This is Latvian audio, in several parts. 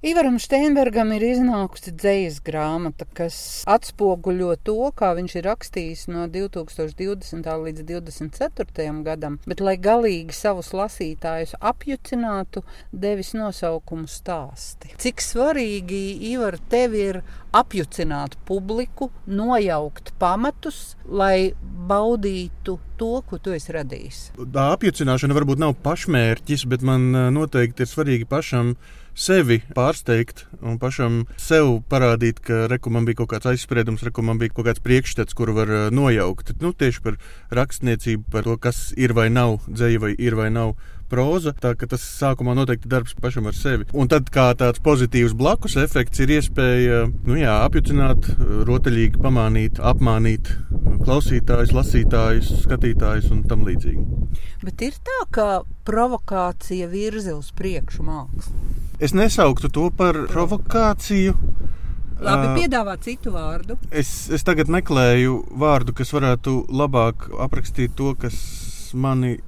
Ivaram Steinbergam ir iznākusi dzejas grāmata, kas atspoguļo to, kā viņš ir rakstījis no 2020. līdz 2024. gadam, bet, lai galīgi savus lasītājus apjucinātu, devis nosaukumu Stāsti. Cik svarīgi, Ivar, tev ir apjucināt publiku, nojaukt pamatus, lai baudītu to, ko tu esi radījis? Tā apjucināšana varbūt nav pašmērķis, bet man noteikti ir svarīgi pašam sevi pārsteigt un pašam sev parādīt, ka man bija kaut kāds aizspriedums, man bija kaut kāds priekšstats, kuru var nojaukt. Tieši par rakstniecību, par to, kas ir vai nav dzeja vai ir vai nav próza, tā ka tas sākumā noteikti darbs pašam ar sevi. Un tad kā tāds pozitīvs blakus efekts ir iespēja, apjucināt, rotaļīgi pamānīt, apmānīt klausītājus, lasītājus, skatītājus un tam līdzīgi. Bet ir tā, ka provokācija virza uz priekšu mākslu? Es nesauktu to par provokāciju. Labi, piedāvā citu vārdu. Es tagad meklēju vārdu, kas varētu labāk aprakstīt to, kas mani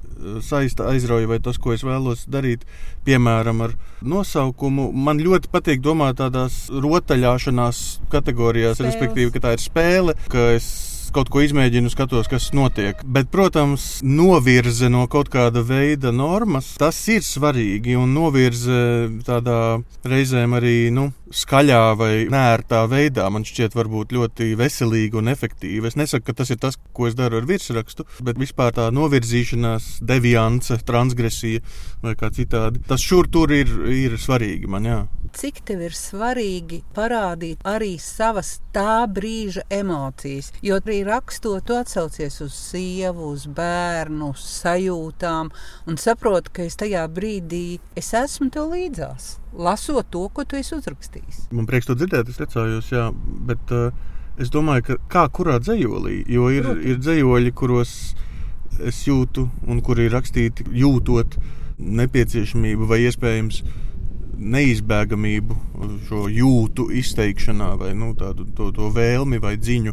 saista, aizrauja vai tas, ko es vēlos darīt, piemēram, ar nosaukumu. Man ļoti patīk domāt tādās rotaļāšanās kategorijās, respektīvi, ka tā ir spēle, ka es kaut ko izmēģinu, skatos, kas notiek. Bet, protams, novirze no kaut kāda veida normas, tas ir svarīgi, un novirze tādā reizēm arī, skaļā vai neērtā veidā, man šķiet varbūt ļoti veselīga un efektīva. Es nesaku, ka tas ir tas, ko es daru ar virsrakstu, bet vispār tā novirzīšanās, deviance, transgresija vai kā citādi. Tas šur tur ir svarīgi man, jā. Cik tev ir svarīgi parādīt arī savas tā brīža emocijas, jo arī rakstot, tu atsaucies uz sievu, uz bērnu, uz sajūtām un saproti, ka es tajā brīdī esmu tev līdzās, lasot to, ko tu esi uzrakstījis. Man prieks to dzirdēt, es priecājos, jā, bet es domāju, ka kā kurā dzejolī, jo ir dzejoļi, kuros es jūtu un kuri ir rakstīti jūtot nepieciešamību vai iespējams neizbēgamību šo jūtu izteikšanā vai tādu to vēlmi vai dziņu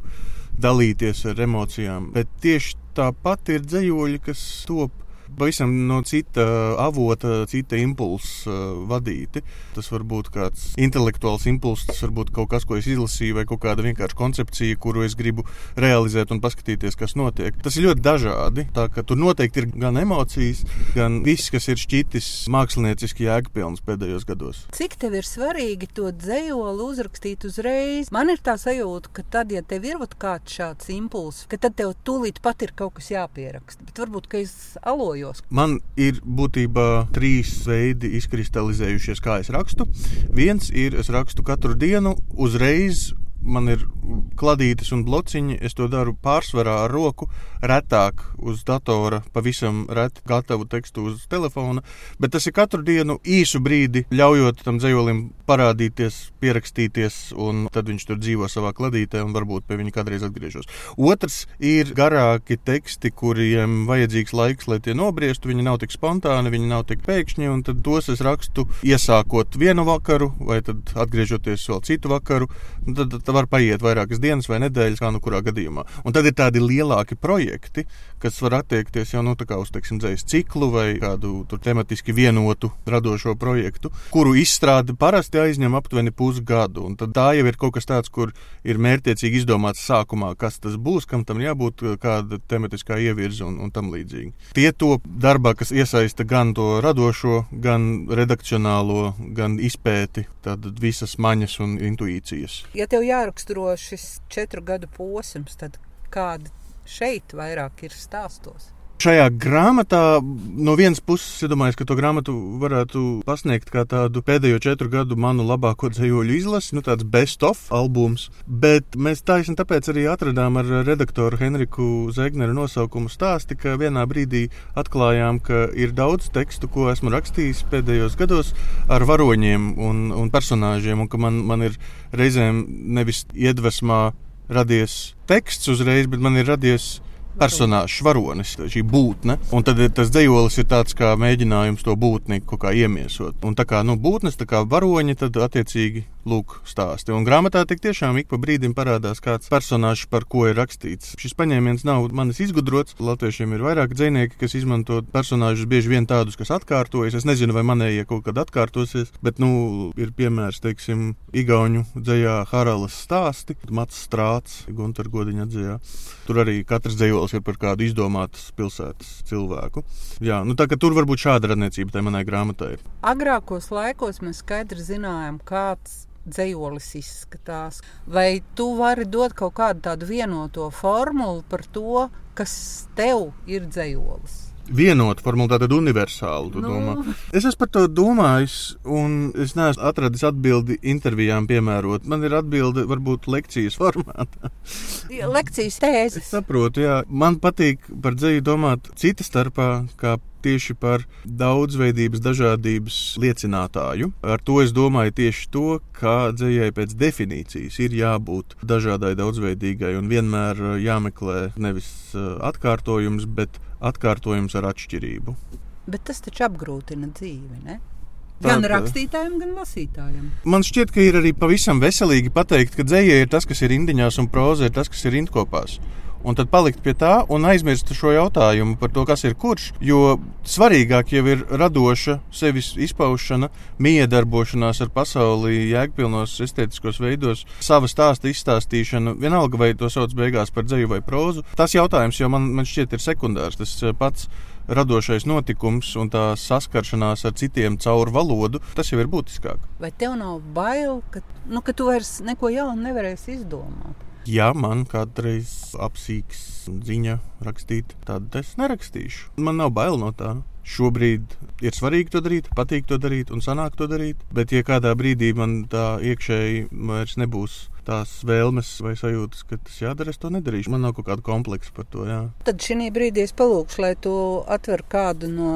dalīties ar emocijām. Bet tieši tāpat ir dzejoļi, kas top pavisam no cita avota, cita impulsa vadīti. Tas var būt kāds intelektuāls impulss, tas var būt kaut kas, ko es izlasīju, vai kaut kāda vienkārši koncepcija, kuru es gribu realizēt un paskatīties, kas notiek. Tas ir ļoti dažādi, tā ka tur noteikti ir gan emocijas, gan viss, kas ir šķitis mākslinieciski jēgpilns pēdējos gados. Cik tev ir svarīgi to dzejoli uzrakstīt uzreiz? Man ir tā sajūta, ka tad, ja tev ir kāds šāds impulss, ka tad tev tūlīt pat ir kaut kas jāpieraksta. Bet varbūt, ka es aloju. Man ir būtībā 3 veidi izkristalizējušies, kā es rakstu. Viens ir, es rakstu katru dienu, uzreiz man ir kladītes un blociņi, es to daru pārsvarā ar roku, retāk uz datora, pavisam reti gatavu tekstu uz telefona, bet tas ir katru dienu īsu brīdi, ļaujot tam dzejolim parādīties, pierakstīties, un tad viņš tur dzīvo savā kladītē un varbūt pie viņa kādreiz atgriežos. Otrs ir garāki teksti, kuriem vajadzīgs laiks, lai tie nobriestu, viņi nav tik spontāni, viņi nav tik pēkšņi, un tad tos es rakstu iesākot vienu vakaru, vai tad atgriežoties vēl citu vakaru, un tad var paiet vairākas dienas vai nedēļas, kā kurā gadījumā. Un tad ir tādi lielāki projekti, kas var attiekties jau tā kā uz, dzejas ciklu vai kādu tur tematiski vienotu radošo projektu, kuru izstrāde parasti aizņem aptuveni pusgadu. Un tad tā jau ir kaut kas tāds, kur ir mērķtiecīgi izdomāts sākumā, kas tas būs, kam tam jābūt, kāda tematiskā ievirze un tam līdzīgi. Tie to darbā, kas iesaista gan to radošo, gan redakcionālo, gan izpēti, tad visas maņas un intuīcijas. Ja tev jāraksturo šis 4 gadu posms, tad kādi šeit vairāk ir stāstos? Šajā grāmatā no vienas puses, domāju, ka to grāmatu varētu pasniegt kā tādu pēdējo 4 gadu manu labāko dzejoļu izlasi, tāds best of albums, bet mēs taisni tāpēc arī atradām ar redaktoru Henriku Zegneru nosaukumu Stāsti, ka vienā brīdī atklājām, ka ir daudz tekstu, ko esmu rakstījis pēdējos gados ar varoņiem un personāžiem, un ka man ir reizēm nevis iedvesmā radies teksts uzreiz, bet man ir radies personāžs, varonis, šī būtne. Un tad tas dzejolis ir tāds kā mēģinājums to būtni kaut kā iemiesot. Un tā kā būtnes, tā kā varoņi, tad attiecīgi lūk stāsti. Un grāmatā tik tiešām ik pa brīdim parādās kāds personāžs, par ko ir rakstīts. Šis paņēmiens nav manis izgudrots. Latviešiem ir vairāk dzejnieki, kas izmanto personāžus, bieži vien tādus, kas atkārtojas. Es nezinu, vai manējie kaut kad atkārtosies, bet, ir piemērs, teiksim, igauņu dzejā Haralas stāsti, Mats Strāts, Gunter Godiņa dzejā. Tur arī katrs dzejolis ir par kādu izdomātas pilsētas cilvēku. Jā, tā ka tur varbūt šāda radniecība tai manai grāmatai. Agrākos laikos mēs skaidri zinājām, kāds dzejolis izskatās. Vai tu vari dot kaut kādu tādu vienoto formulu par to, kas tev ir dzejolis? Vienota formula, tātad universāla, tu domā. Es esmu par to domājis, un es neesmu atradis atbildi intervijām piemērot. Man ir atbildi varbūt lekcijas formātā. Lekcijas tēzes. Es saprotu, jā. Man patīk par dzeju domāt cita starpā, kā tieši par daudzveidības, dažādības liecinātāju. Ar to es domāju tieši to, kā dzejai pēc definīcijas ir jābūt dažādai, daudzveidīgai un vienmēr jāmeklē nevis atkārtojums, bet atkārtojums ar atšķirību. Bet tas taču apgrūtina dzīvi, ne? Gan rakstītājiem, gan lasītājiem. Man šķiet, ka ir arī pavisam veselīgi pateikt, ka dzeja ir tas, kas ir indiņās, un próza ir tas, kas ir rindkopās. Un tad palikt pie tā un aizmirst šo jautājumu par to, kas ir kurš, jo svarīgāk jau ir radoša sevis izpaušana, miedarbošanās ar pasauli, jēgpilnos estētiskos veidos, sava stāsta izstāstīšana, vienalga vai to sauc beigās par dzeju vai prózu. Tas jautājums jau man šķiet ir sekundārs, tas pats radošais notikums un tā saskaršanās ar citiem caur valodu, tas jau ir būtiskāk. Vai tev nav bail, ka tu vairs neko jaunu nevarēsi izdomāt? Ja man kādreiz apsīks ziņa rakstīt, tad es nerakstīšu. Man nav bail no tā. Šobrīd ir svarīgi to darīt, patīk to darīt un sanāk to darīt, bet ja kādā brīdī man tā iekšēji vairs nebūs tās vēlmes vai sajūtas, ka tas jādara, es to nedarīšu. Man nav kaut kāda kompleksa par to, jā. Tad šī brīdī es palūkšu, lai tu atver kādu no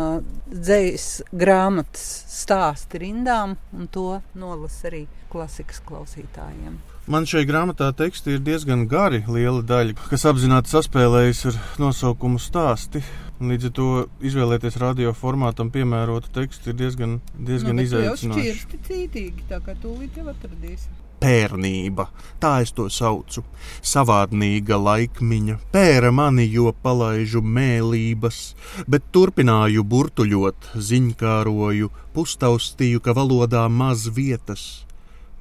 dzejas grāmatas stāsti rindām un to nolas arī klasikas klausītājiem. Man šai grāmatā teksti ir diezgan gari, liela daļa, kas apzināti saspēlējas ar nosaukumu stāsti. Līdz ar to izvēlēties radio formātam piemērotu tekstu ir diezgan izaicinoši. Jau šķirsti cītīgi, tā kā tūlīt jau atradīsi. Pērnība, tā es to saucu. Savādnīga laikmiņa, pēra mani, jo palaižu mēlības, bet turpināju burtuļot, ziņkāroju, pustaustīju, ka valodā maz vietas.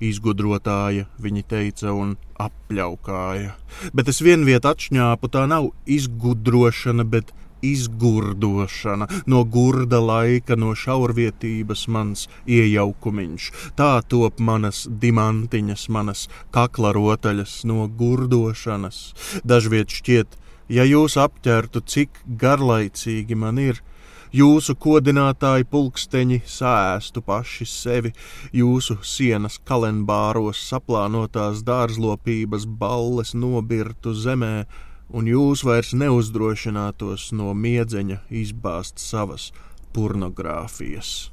Izgudrotāja, viņi teica, un apļaukāja. Bet es vienviet atšņāpu, tā nav izgudrošana, bet izgurdošana. No gurda laika, no šaurvietības mans iejaukumiņš. Tā top manas dimantiņas, manas kakla rotaļas no gurdošanas. Dažviet šķiet, ja jūs apķertu, cik garlaicīgi man ir, jūsu kodinātāji pulksteņi sēstu paši sevi, jūsu sienas kalenbāros saplānotās dārzlopības balles nobirtu zemē, un jūs vairs neuzdrošinātos no miedzeņa izbāzt savas pornogrāfijas.